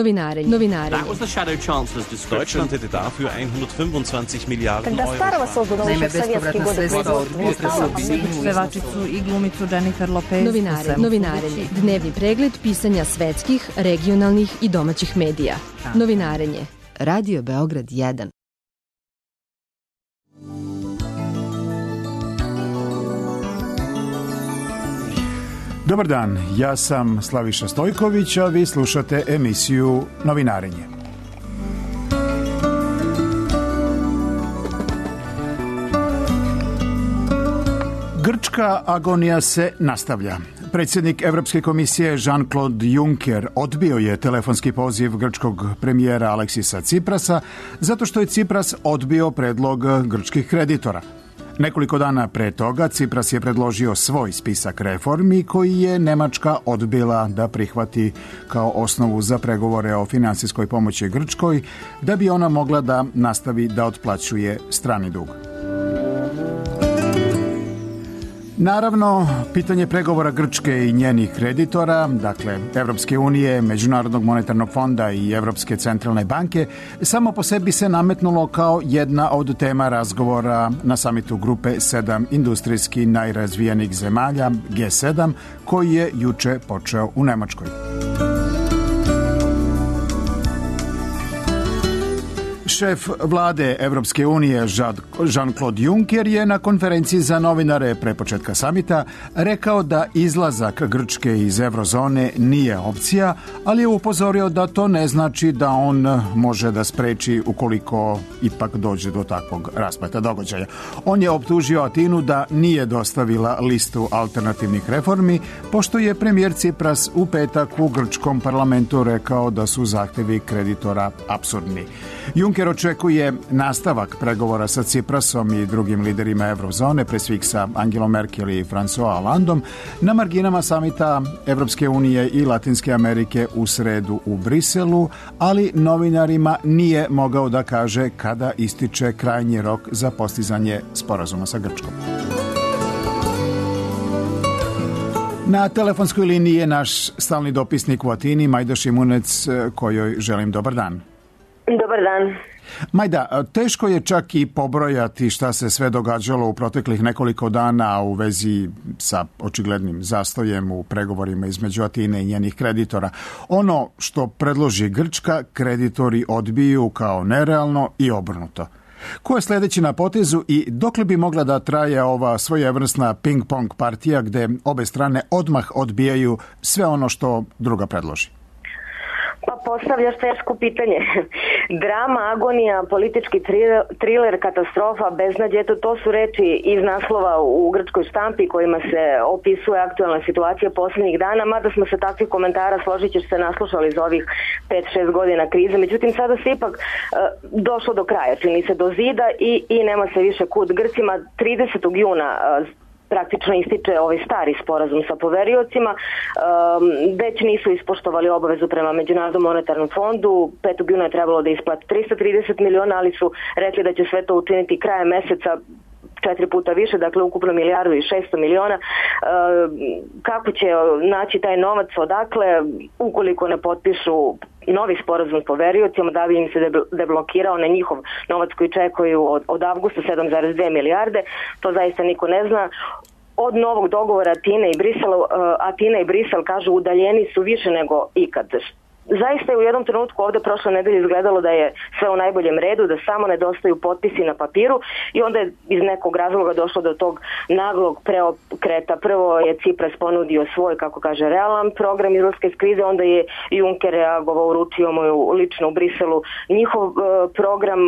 Novinare. That was the shadow chancellor's description. Deutschland hätte dafür 125 Milliarden Euro. Naime, bespovratna sredstva od pevačicu i glumicu Jennifer Lopez. Novinarenje. Dnevni pregled pisanja svetskih, regionalnih i domaćih medija. Novinarenje. Radio Beograd 1. Dobar dan, ja sam Slaviša Stojković, a vi slušate emisiju Novinarenje. Grčka agonija se nastavlja. Predsjednik Evropske komisije Jean-Claude Juncker odbio je telefonski poziv grčkog premijera Aleksisa Tsiprasa zato što je Tsipras odbio predlog grčkih kreditora. Nekoliko dana pre toga Tsipras je predložio svoj spisak reformi koji je Nemačka odbila da prihvati kao osnovu za pregovore o finansijskoj pomoći Grčkoj, da bi ona mogla da nastavi da otplaćuje strani dug. Naravno, pitanje pregovora Grčke i njenih kreditora, dakle Evropske unije, Međunarodnog monetarnog fonda i Evropske centralne banke, samo po sebi se nametnulo kao jedna od tema razgovora na samitu grupe 7 industrijski najrazvijenijih zemalja G7, koji je juče počeo u Nemačkoj. Šef vlade Evropske unije Jean-Claude Juncker je na konferenciji za novinare pre početka samita rekao da izlazak Grčke iz eurozone nije opcija, ali je upozorio da to ne znači da on može da spreči ukoliko ipak dođe do takvog raspleta događaja. On je optužio Atinu da nije dostavila listu alternativnih reformi, pošto je premijer Tsipras u petak u grčkom parlamentu rekao da su zahtevi kreditora apsurdni. Juncker očekuje nastavak pregovora sa Tsiprasom i drugim liderima eurozone, pre svih sa Angelom Merkel i François Hollandom, na marginama samita Evropske unije i Latinske Amerike u sredu u Briselu, ali novinarima nije mogao da kaže kada ističe krajnji rok za postizanje sporazuma sa Grčkom. Na telefonskoj liniji je naš stalni dopisnik u Atini, Majda Šimunec, kojoj želim dobar dan. Dobar dan. Majda, teško je čak i pobrojati šta se sve događalo u proteklih nekoliko dana u vezi sa očiglednim zastojem u pregovorima između Atine i njenih kreditora. Ono što predloži Grčka, kreditori odbiju kao nerealno i obrnuto. Ko je sljedeći na potezu i dokle bi mogla da traje ova svojevrsna ping-pong partija gde obe strane odmah odbijaju sve ono što druga predloži? Pa postavljaš teško pitanje. Drama, agonija, politički triler, katastrofa, beznađe, to su reči iz naslova u grčkoj štampi kojima se opisuje aktualna situacija posljednjih dana, mada smo se takvih komentara, složit ćeš se, naslušali za ovih 5-6 godina krize. Međutim, sada se ipak došlo do kraja, čini se do zida i nema se više kud. Grcima 30. juna praktično ističe ovaj stari sporazum sa poveriocima, već nisu ispoštovali obavezu prema Međunarodnom monetarnom fondu, 5. juna je trebalo da isplati 330 miliona, ali su rekli da će sve to učiniti krajem meseca 4 puta više, dakle ukupno 1.600 miliona. Kako će naći taj novac, odakle, ukoliko ne potpišu novi sporazum s poveriocima, da bi im se deblokirao na njihov novac koji čekaju od avgusta 7,2 milijarde, to zaista niko ne zna. Od novog dogovora Atina i Brisel kažu udaljeni su više nego ikad. Zaista je u jednom trenutku ovdje prošle nedelje izgledalo da je sve u najboljem redu, da samo nedostaju potpisi na papiru i onda je iz nekog razloga došlo do tog naglog preokreta. Prvo je Tsipras ponudio svoj, kako kaže, realan program izlaska iz krize, onda je Juncker reagovao, uručio mu lično u Briselu njihov program,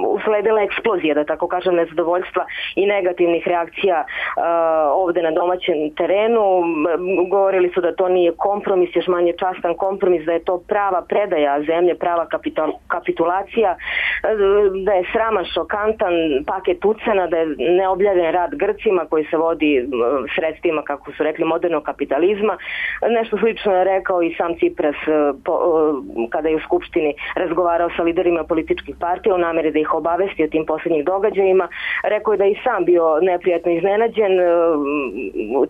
usledila eksplozija, da tako kažem, nezadovoljstva i negativnih reakcija ovdje na domaćem terenu. Govorili su da to nije kompromis, još manje častan kompromis, da je to prava predaja zemlje, prava kapitulacija, da je sraman, šokantan paket ucena, da je neobjavljen rad Grcima koji se vodi sredstvima, kako su rekli, modernog kapitalizma. Nešto slično je rekao i sam Tsipras kada je u Skupštini razgovarao sa liderima političkih partija u nameri da ih obavesti o tim posljednjih događajima. Rekao je da je i sam bio neprijatno iznenađen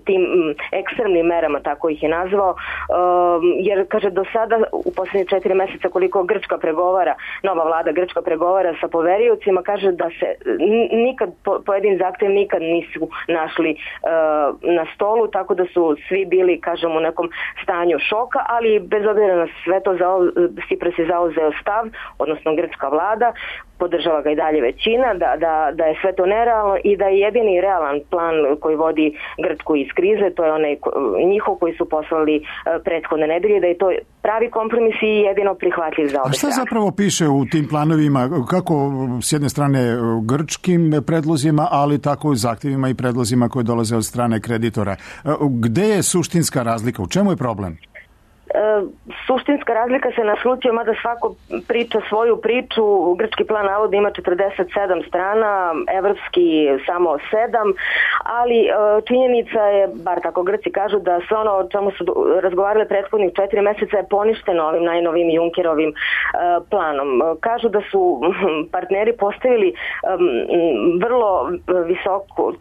tim ekstremnim merama, tako ih je nazvao, jer, kaže, do sada u posljednje 4 meseca koliko Grčka pregovara, nova vlada Grčka pregovara sa poveriocima, kaže da se nikad pojedini zahtjev nikad nisu našli na stolu, tako da su svi bili, kažem, u nekom stanju šoka, ali bez obzira na sve to Cypras je zauzeo stav, odnosno grčka vlada, podržava ga i dalje većina, da je sve to nerealno i da je jedini realan plan koji vodi Grčku iz krize, to je onaj njihov koji su poslali prethodne nedelje, da je to pravi kompromis i jedino prihvatljiv za obe strane. A šta zapravo piše u tim planovima, kako s jedne strane grčkim predlozima, ali tako i zahtjevima i predlozima koje dolaze od strane kreditora? Gde je suštinska razlika? U čemu je problem? Suštinska razlika se naslučuje, mada svako priča svoju priču. Grčki plan navodno ima 47 strana, evropski samo 7, ali činjenica je, bar tako Grci kažu, da sve ono o čemu su razgovarali prethodnih 4 meseca je poništeno ovim najnovim Junckerovim planom. Kažu da su partneri postavili vrlo visoku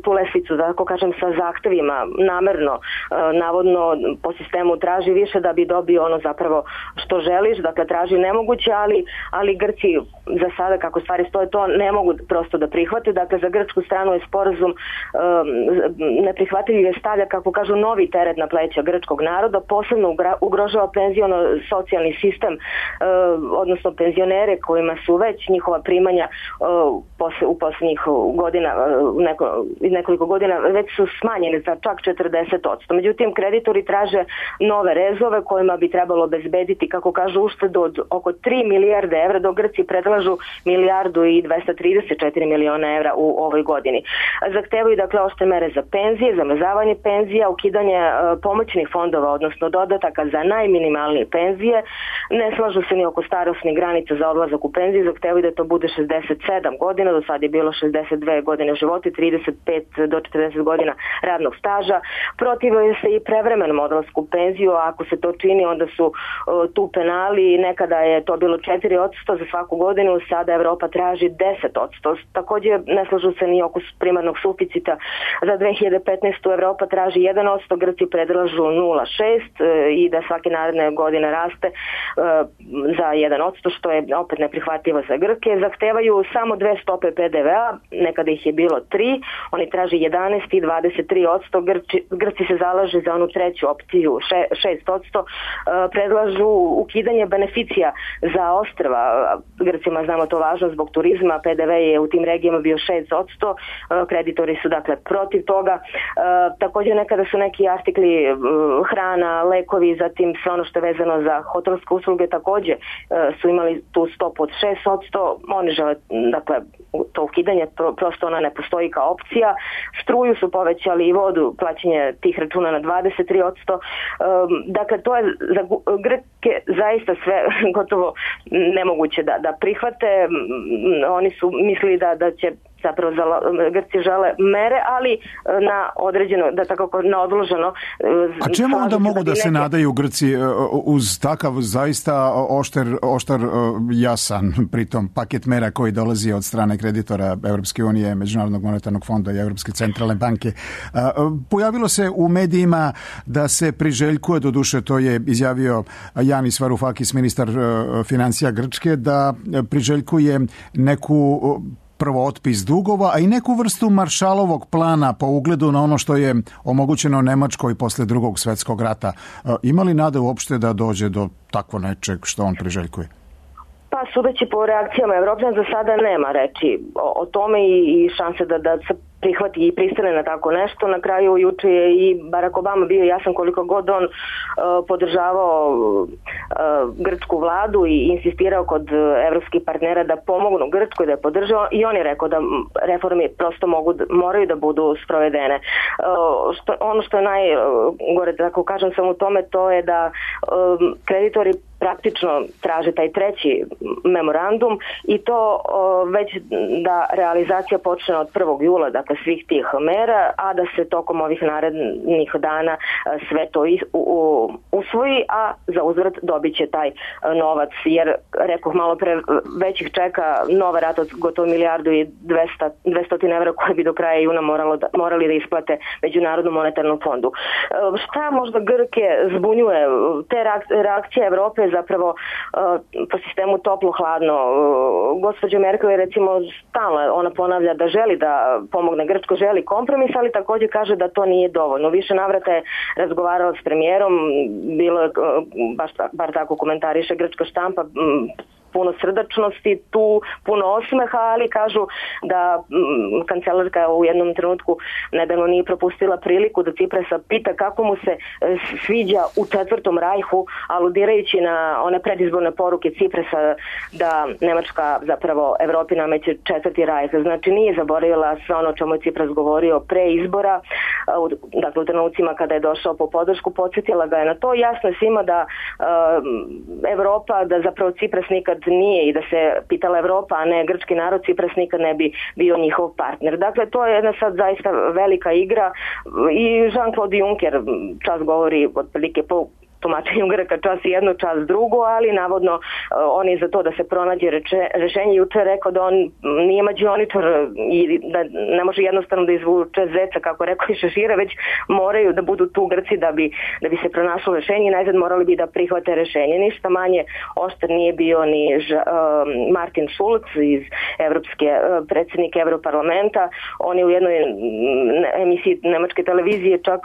tu lestvicu, da tako kažem, sa zahtevima, namerno, navodno po sistemu traži više da bi dobio ono zapravo što želiš, dakle traži nemoguće, ali Grci za sada, kako stvari stoje, to ne mogu prosto da prihvate. Dakle, za grčku stranu je sporazum neprihvatljiv, je stavlja, kako kažu, novi teret na pleća grčkog naroda, posebno ugrožava penziono-socijalni sistem, odnosno penzionere kojima su već njihova primanja u posljednjih godina, nekoliko godina već su smanjene za čak 40%. Međutim, kreditori traže nove rezove kojima bi trebalo obezbediti, kako kažu, uštedu od oko 3 milijarde evra, dok Grci predlažu 1 milijardu i 234 miliona evra u ovoj godini. Zahtevaju, dakle, oštre mere za penzije, zamrzavanje penzija, ukidanje pomoćnih fondova, odnosno dodataka za najminimalnije penzije. Ne slažu se ni oko starosnih granica za odlazak u penziju, zahtevaju da to bude 67 godina, do sad je bilo 62 godine života, 35 do 40 godina radnog staža. Protivaju se i prevremenom odlasku u penziju, a ako se to čini, onda su tu penali, nekada je to bilo 4% za svaku godinu, sada Evropa traži 10%. Također ne slažu se ni oko primarnog suficita za 2015. Evropa traži 1%, Grci predlažu 0,6% i da svake naredne godine raste za 1%, što je opet neprihvatljivo za Grke. Zahtevaju samo 2 stope PDV-a, nekada ih je bilo 3, oni traži 11 i 23%, Grci se zalaže za onu treću opciju, 6%, predlažu ukidanje beneficija za ostrva. Grcima, znamo, to važno zbog turizma, PDV je u tim regijama bio 6%, kreditori su dakle protiv toga. Također nekada su neki artikli, hrana, lekovi, zatim sve ono što je vezano za hotelske usluge također su imali tu stopu od 6%, oni žele, dakle, to ukidanje, prosto ona ne postoji kao opcija. Struju su povećali i vodu, plaćanje tih računa na 23%. Dakle, to je za Grke zaista sve gotovo nemoguće da prihvate. Oni su mislili da će zapravo Grci žele mere, ali na određeno, da tako na odloženo. A čemu onda mogu da se nadaju Grci uz takav zaista oštar jasan pritom paket mera koji dolazi od strane kreditora Evropske unije, Međunarodnog monetarnog fonda i Evropske centralne banke? Pojavilo se u medijima da se priželjkuje, doduše to je izjavio Yanis Varoufakis, ministar financija Grčke, da priželjkuje neku prvo otpis dugova, a i neku vrstu Maršalovog plana po ugledu na ono što je omogućeno Nemačkoj posle Drugog svjetskog rata. Ima li nade uopšte da dođe do takvo nečeg što on priželjkuje? Pa, sudeći po reakcijama Evropljana, za sada nema reči o tome i šanse da se prihvati i pristane na tako nešto. Na kraju juče je i Barack Obama bio jasan koliko god on podržavao grčku vladu i insistirao kod evropskih partnera da pomognu Grčkoj, da je podržao, i on je rekao da reforme prosto moraju da budu sprovedene. Ono što je najgore, tako kažem sam u tome, to je da kreditori praktično traže taj treći memorandum i to već da realizacija počne od 1. jula, dakle svih tih mera, a da se tokom ovih narednih dana sve to usvoji, a za uzvrat dobit će taj novac, jer rekoh malo pre, već ih čeka nova rata od gotovo 1.200.000 evra koje bi do kraja juna morali da isplate Međunarodnom monetarnom fondu. Šta možda Grke zbunjuje? Te reakcije Evrope zapravo po sistemu toplo-hladno. Gospođa Merkel je recimo stalno, ona ponavlja da želi da pomogne Grčkoj, želi kompromis, ali također kaže da to nije dovoljno. Više navrata je razgovarala s premijerom, bilo je, bar tako komentariše grčka štampa, puno srdačnosti, tu puno osmeha, ali kažu da kancelarka u jednom trenutku nedavno nije propustila priliku da Ciprasa pita kako mu se sviđa u Četvrtom rajhu, aludirajući na one predizborne poruke Ciprasa da Nemačka zapravo Evropi nameće Četvrti rajh. Znači nije zaboravila sve ono o čemu je Cipras govorio pre izbora, dakle u trenucima kada je došao po podršku, podsjetila ga je na to. Jasno je svima da Evropa, da zapravo Cipras nikad nije i da se pitala Evropa, a ne grčki narod, Cipras nikad ne bi bio njihov partner. Dakle, to je jedna sad zaista velika igra i Jean-Claude Juncker čas govori otprilike po tumačenju Grka čas jedno, čas drugo, ali navodno on je za to da se pronađe rešenje. Juče rekao da on nije mađioničar i da ne može jednostavno da izvuče zeca, kako rekao i Šešira, već moraju da budu tu Grci da bi se pronašlo rešenje i najzad morali bi da prihvate rešenje. Ništa manje oštar nije bio ni Martin Schulz iz predsjednik Evroparlamenta. On je u jednoj emisiji nemačke televizije čak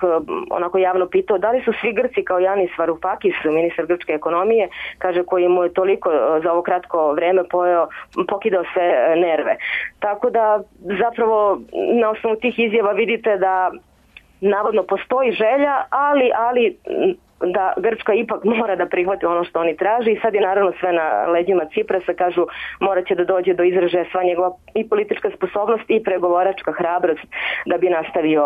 onako javno pitao da li su svi Grci kao Janis Varoufakis, ministar grčke ekonomije, kaže, koji mu je toliko za ovo kratko vreme pokidao sve nerve. Tako da zapravo na osnovu tih izjava vidite da navodno postoji želja, ali da Grčka ipak mora da prihvati ono što oni traže i sad je naravno sve na leđima Ciprasa, kažu morat će da dođe do izražaja sva njegova i politička sposobnost i pregovaračka hrabrost da bi nastavio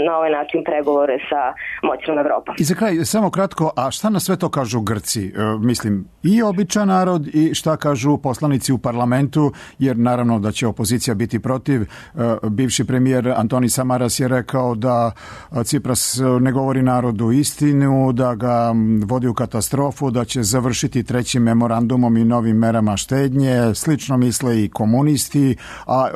na ovaj način pregovore sa moćnom Evropom. I za kraj, samo kratko, a šta na sve to kažu Grci? Mislim, i običan narod i šta kažu poslanici u parlamentu, jer naravno da će opozicija biti protiv. Bivši premijer Antoni Samaras je rekao da Cipras ne govori narodu istinu, da ga vodi u katastrofu, da će završiti trećim memorandumom i novim merama štednje. Slično misle i komunisti, a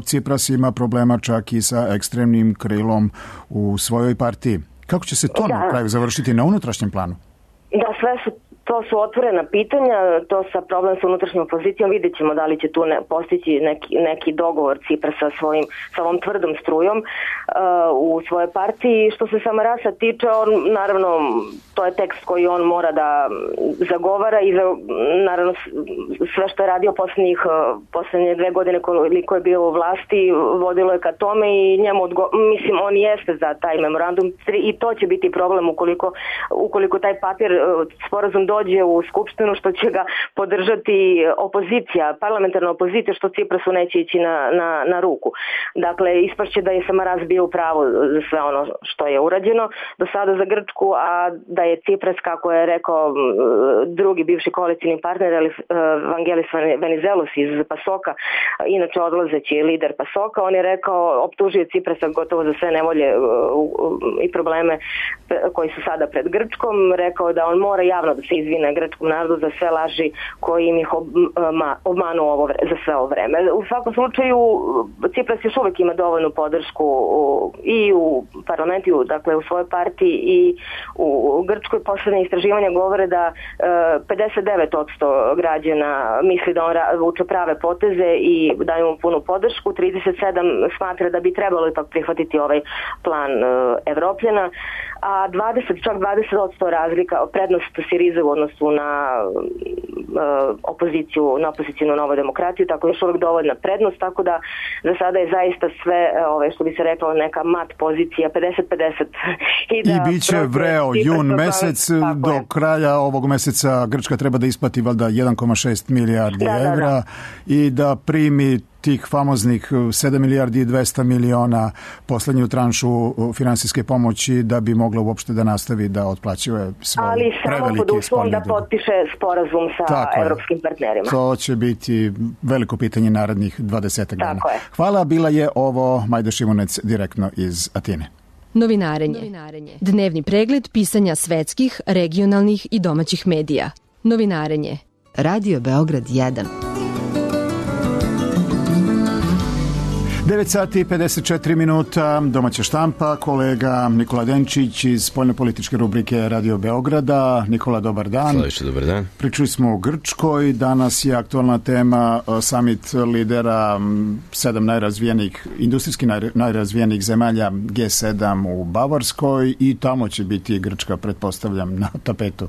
Cipras ima problema čak i sa ekstremnim krilom u svojoj partiji. Kako će se to na kraju završiti na unutrašnjem planu? Da, to su otvorena pitanja, to sa problem sa unutrašnjom opozicijom, vidjet ćemo da li će tu postići neki dogovor Cipra sa ovom tvrdom strujom u svojoj partiji. Što se Samarasa tiče, on, naravno, to je tekst koji on mora da zagovara i naravno sve što je radio posljednje 2 godine koliko je bio u vlasti, vodilo je ka tome i njemu, mislim, on jeste za taj memorandum i to će biti problem ukoliko taj papir, sporazum dođe u Skupštinu, što će ga podržati opozicija, parlamentarna opozicija, što Ciprasu neće ići na ruku. Dakle, ispašće da je Samaras bio u pravu za sve ono što je urađeno do sada za Grčku, a da je Cipras, kako je rekao drugi bivši koalicijni partner Vangelis Venizelos iz Pasoka, inače odlazeći lider Pasoka, on je rekao, optužio Ciprasa gotovo za sve nevolje i probleme koji su sada pred Grčkom, rekao da on mora javno da se izvine grčkom narodu za sve laži koji im ih obmanuo za sve ovo vreme. U svakom slučaju Cipras još uvijek ima dovoljnu podršku i u parlamentu, dakle u svojoj partiji i u Grčkoj. Poslednje istraživanja govore da 59% građana misli da on vuče prave poteze i daju mu punu podršku, 37% smatra da bi trebalo ipak prihvatiti ovaj plan Evropljana, a 20% razlika, prednost Sirize u odnosu na opozicijnu Novu demokratiju, tako još uvijek dovoljna prednost, tako da za sada je zaista sve, što bi se reklo, neka mat pozicija, 50-50. I bit će vreo jun mesec, do kraja ovog meseca Grčka treba da isplati valjda 1,6 milijardi evra i da primi tih famoznih 7 milijardi i 200 miliona poslednju tranšu finansijske pomoći da bi mogla uopšte da nastavi da otplaćuje svoje prevelike pod uslovom da potpiše sporazum sa evropskim partnerima. To će biti veliko pitanje narednih 20 dana. Hvala, bila je ovo Majda Šimunec direktno iz Atine. Novinarenje. Dnevni pregled pisanja svetskih, regionalnih i domaćih medija. Novinarenje. Radio Beograd 1. 9 sati i 54 minuta, domaća štampa, kolega Nikola Denčić iz spoljnopolitičke rubrike Radio Beograda. Nikola, dobar dan. Slaviše, dobar dan. Pričali smo o Grčkoj, danas je aktualna tema summit lidera 7 najrazvijenih, industrijski najrazvijenih zemalja G7 u Bavarskoj i tamo će biti Grčka, pretpostavljam, na tapetu.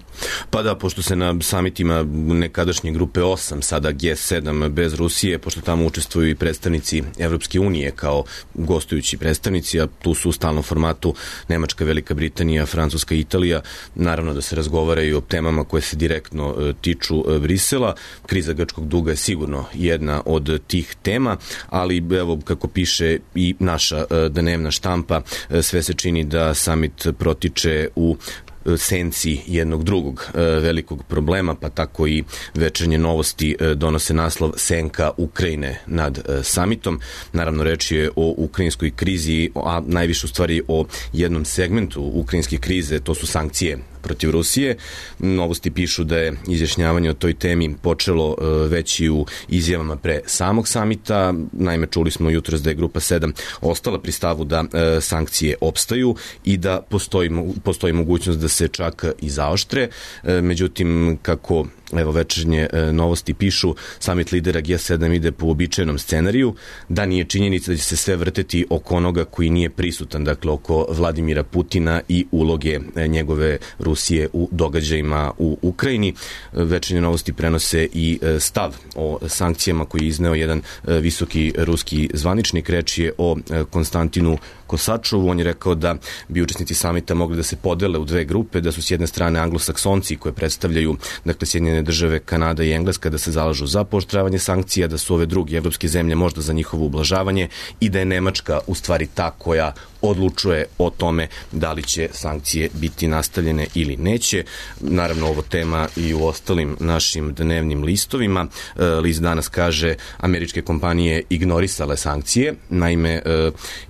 Pa da, pošto se na summitima nekadašnje grupe 8, sada G7 bez Rusije, pošto tamo učestvuju i predstavnici Evropske unije kao gostujući predstavnici, a tu su u stalnom formatu Nemačka, Velika Britanija, Francuska i Italija. Naravno da se razgovaraju o temama koje se direktno tiču Brisela. Kriza grčkog duga je sigurno jedna od tih tema, ali evo kako piše i naša dnevna štampa, sve se čini da summit protiče u senci jednog drugog velikog problema, pa tako i Večernje novosti donose naslov Senka Ukrajine nad samitom. Naravno, reč je o ukrajinskoj krizi, a najviše u stvari o jednom segmentu ukrajinske krize, to su sankcije protiv Rusije. Novosti pišu da je izjašnjavanje o toj temi počelo već i u izjavama pre samog samita. Naime, čuli smo jutros da je grupa 7 ostala pri stavu da sankcije opstaju i da postoji mogućnost da se čak i zaoštre. Međutim, kako Večernje novosti pišu, samit lidera G7 ide po uobičajenom scenariju, da nije činjenica da će se sve vrteti oko onoga koji nije prisutan, dakle oko Vladimira Putina i uloge njegove Rusije u događajima u Ukrajini. Večernje novosti prenose i stav o sankcijama koji je izneo jedan visoki ruski zvaničnik. Reč je o Konstantinu Kosačovu. On je rekao da bi učesnici samita mogli da se podele u dve grupe, da su s jedne strane anglosaksonci koje predstavljaju, dakle, Sjedinjene države, Kanada i Engleska, da se zalažu za pooštravanje sankcija, da su ove druge evropske zemlje možda za njihovo ublažavanje i da je Nemačka u stvari ta koja odlučuje o tome da li će sankcije biti nastavljene ili neće. Naravno, ovo tema i u ostalim našim dnevnim listovima. List danas kaže američke kompanije ignorisale sankcije. Naime,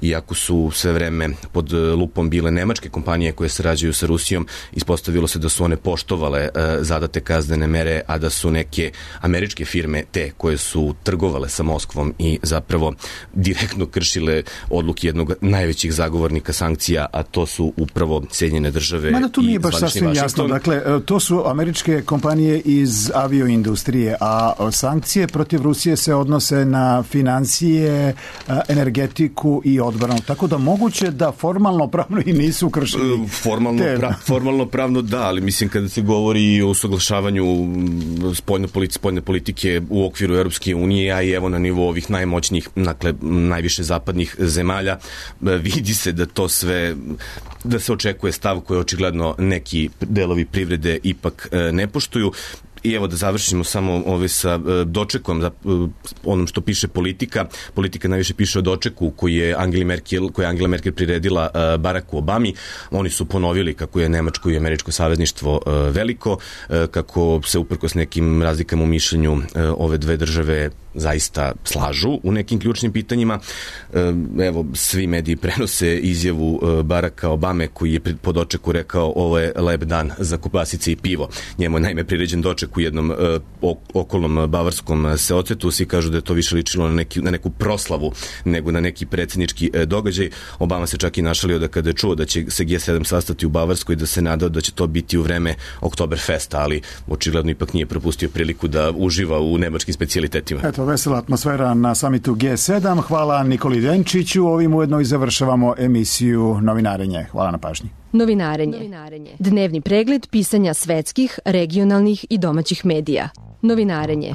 iako su sve vreme pod lupom bile nemačke kompanije koje sarađuju sa Rusijom, ispostavilo se da su one poštovale zadate kaznene mere, a da su neke američke firme te koje su trgovale sa Moskvom i zapravo direktno kršile odluke jednog najvećih zagovornika sankcija, a to su upravo Sjedinjene države. Mada tu nije baš sasvim jasno. Dakle, to su američke kompanije iz avioindustrije, a sankcije protiv Rusije se odnose na financije, energetiku i odbranu. Tako da moguće da formalno pravno i nisu kršili. Formalno pravno da, ali mislim kada se govori o usaglašavanju spoljne politike u okviru Europske unije, a i evo na nivou ovih najmoćnijih, dakle najviše zapadnih zemalja, vidi se da to sve, da se očekuje stav koji očigledno neki delovi privrede ipak ne poštuju. I evo da završimo samo sa dočekom, onom što piše Politika. Politika najviše piše o dočeku koji je Angela Merkel priredila Baracku Obami. Oni su ponovili kako je nemačko i američko savezništvo veliko, kako se uprkos nekim razlikama u mišljenju ove dve države zaista slažu u nekim ključnim pitanjima. Evo, svi mediji prenose izjavu Baracka Obame koji je po dočeku rekao ovo je lep dan za kobasice i pivo. Njemu je naime priređen doček u jednom okolnom bavarskom seocetu. Svi kažu da je to više ličilo na neku proslavu nego na neki predsjednički događaj. Obama se čak i našalio da kada je čuo da će se G7 sastati u Bavarskoj, da se nadao da će to biti u vreme Oktoberfesta, ali očigledno ipak nije propustio priliku da uživa u nemačkim specijalitetima. Eto, vesela atmosfera na samitu G7. Hvala Nikoli Denčiću. Ovim ujedno i završavamo emisiju Novinarenje. Hvala na pažnji. Novinarenje. Dnevni pregled pisanja svetskih, regionalnih i domaćih medija. Novinarenje.